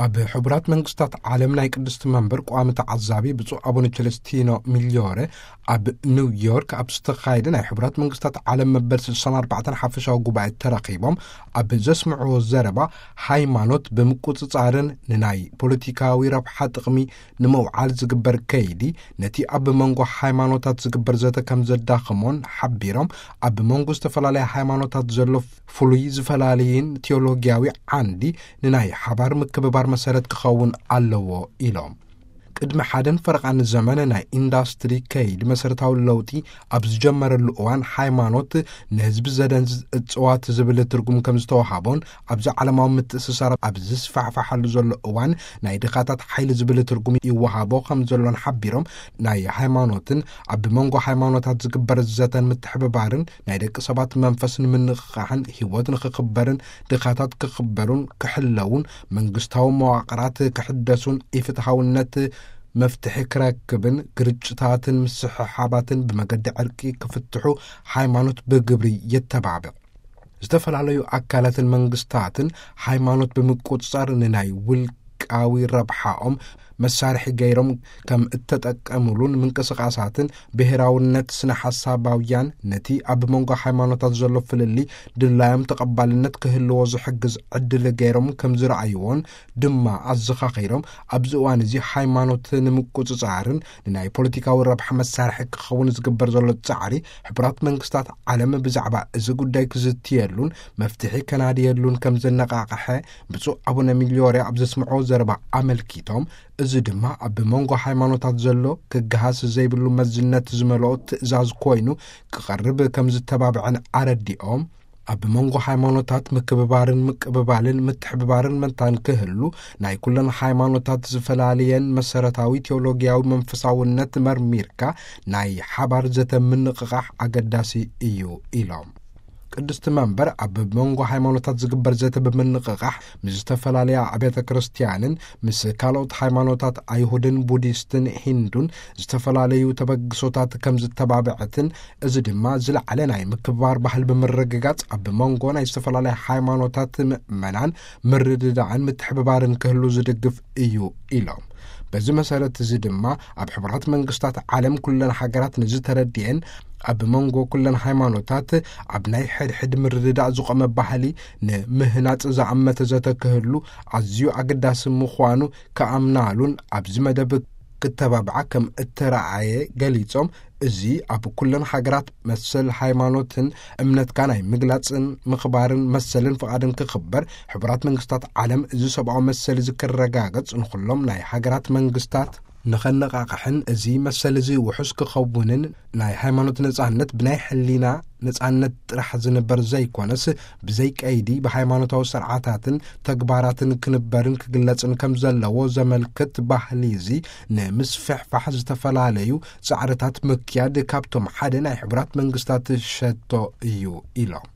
ኣብ ሕቡራት መንግስታት ዓለም ናይ ቅድስቲ መንበር ቋሚ ተዓዛቢ ብፁዕ ኣቡነ ቸለስቲኖ ሚልዮረ፣ ኣብ ኒውዮርክ ኣብ ዝተኻየደ ናይ ሕቡራት መንግስታት ዓለም መበል ስሳን ኣርባዕተን ሓፈሻዊ ጉባኤ ተረኺቦም ኣብ ዘስምዕዎ ዘረባ፣ ሃይማኖት ብምቁጽጻርን ንናይ ፖለቲካዊ ረብሓ ጥቕሚ ንምውዓል ዝግበር ከይዲ፣ ነቲ ኣብ መንጎ ሃይማኖታት ዝግበር ዘተ ከም ዘዳኽሞን ሓቢሮም፣ ኣብ መንጎ ዝተፈላለያ ሃይማኖታት ዘሎ ፍሉይ ዝፈላለይን ቴዎሎጊያዊ ዓንዲ ንናይ ሓባር ምክብባር መሰረት ክኸውን ኣለዎ ኢሎም። ቅድሚ ሓደን ፈረቓን ዘመን ናይ ኢንዳስትሪ ከይዲ መሰረታዊ ለውጢ ኣብ ዝጀመረሉ እዋን፣ ሃይማኖት ንህዝቢ ዘደንዝዝ እጽዋት ዝብል ትርጉም ከም ዝተዋሃቦን፣ ኣብዚ ዓለማዊ ምትእስሳር ኣብ ዝስፋሕፋሓሉ ዘሎ እዋን፣ ናይ ድኻታት ሓይሊ ዝብል ትርጉም ይወሃቦ ከም ዘሎን ሓቢሮም፣ ናይ ሃይማኖትን ኣብ መንጎ ሃይማኖታት ዝግበር ዘተን ምትሕብባርን ናይ ደቂ ሰባት መንፈስ ንምንቕቓሕን ህይወት ንኽኽበርን ድኻታት ክኽበሩን ክሕለውን፣ መንግስታዊ መዋቕራት ክሕደሱን፣ ኢፍትሃውነት መፍትሒ ክረክብን፣ ግርጭታትን ምስሕሓባትን ብመገዲ ዕርቂ ክፍትሑ ሃይማኖት ብግብሪ የተባብዕ። ዝተፈላለዩ ኣካላትን መንግስታትን ሃይማኖት ብምቁጽጻር ንናይ ውልቃዊ ረብሓኦም መሳርሒ ገይሮም ከም እተጠቀሙሉን፣ ምንቅስቃሳትን ብሄራውነት ስነ ሓሳባውያን ነቲ ኣብ መንጎ ሃይማኖታት ዘሎ ፍልልይ ድላዮም ተቐባልነት ክህልዎ ዝሕግዝ ዕድል ገይሮም ከም ዝረኣይዎን ድማ ኣዘኻኺሮም፣ ኣብዚ እዋን እዚ ሃይማኖት ንምቁጽጻርን ንናይ ፖለቲካዊ ረብሓ መሳርሒ ክኸውን ዝግበር ዘሎ ጻዕሪ፣ ሕቡራት መንግስታት ዓለም ብዛዕባ እዚ ጉዳይ ክዝትየሉን መፍትሒ ከናድየሉን ከም ዘነቓቕሐ ብፁዕ ኣቡነ ሚልዮርያ ኣብ ዘስምዕዎ ዘረባ ኣመልኪቶም፣ እዚ ድማ ኣብ መንጎ ሃይማኖታት ዘሎ ክገሃስ ዘይብሉ መዝነት ዝመልኦ ትእዛዝ ኮይኑ ክቐርብ ከም ዝተባብዐን ኣረዲኦም፣ ኣብ መንጎ ሃይማኖታት ምክብባርን ምቅብባልን ምትሕብባርን መታን ክህሉ፣ ናይ ኩለን ሃይማኖታት ዝፈላለየን መሰረታዊ ቴዎሎጊያዊ መንፈሳውነት መርሚርካ ናይ ሓባር ዘተ ምንቕቓሕ ኣገዳሲ እዩ ኢሎም። ቅድስቲ መንበር ኣብ መንጎ ሃይማኖታት ዝግበር ዘተ ብምንቕቓሕ፣ ምስ ዝተፈላለያ ኣብያተ ክርስቲያንን ምስ ካልኦት ሃይማኖታት ኣይሁድን ቡዲስትን ሂንዱን ዝተፈላለዩ ተበግሶታት ከም ዝተባብዐትን፣ እዚ ድማ ዝለዓለ ናይ ምክብባር ባህል ብምርግጋጽ፣ ኣብ መንጎ ናይ ዝተፈላለያ ሃይማኖታት ምእመናን ምርድዳእን ምትሕብባርን ክህሉ ዝድግፍ እዩ ኢሎም። በዚ መሰረት እዚ ድማ፣ ኣብ ሕቡራት መንግስታት ዓለም ኩለን ሃገራት ንዝተረድኤን፣ ኣብ መንጎ ኩለን ሃይማኖታት ኣብ ናይ ሕድሕድ ምርድዳእ ዝቖመ ባህሊ ንምህናጽ ዝኣመተ ዘተ ክህሉ ኣዝዩ ኣገዳሲ ምዃኑ ክኣምናሉን፣ ኣብዚ መደብ ክተባብዓ ከም እተረኣየ ገሊጾም፣ እዚ ኣብ ኩለን ሃገራት መሰል ሃይማኖትን እምነትካ ናይ ምግላጽን ምኽባርን መሰልን ፍቓድን ክኽበር፣ ሕቡራት መንግስታት ዓለም እዚ ሰብኣዊ መሰል እዚ ክረጋገጽ፣ ንኹሎም ናይ ሃገራት መንግስታት ንኸነቓቕሕን፣ እዚ መሰል እዚ ውሑስ ክኸውንን፣ ናይ ሃይማኖት ነጻነት ብናይ ሕሊና ነጻነት ጥራሕ ዝንበር ዘይኮነስ፣ ብዘይ ቀይዲ ብሃይማኖታዊ ስርዓታትን ተግባራትን ክንበርን ክግለጽን ከም ዘለዎ ዘመልክት ባህሊ እዚ ንምስፍሕፋሕ ዝተፈላለዩ ጻዕርታት ምክያድ ካብቶም ሓደ ናይ ሕቡራት መንግስታት ሸቶ እዩ ኢሎም።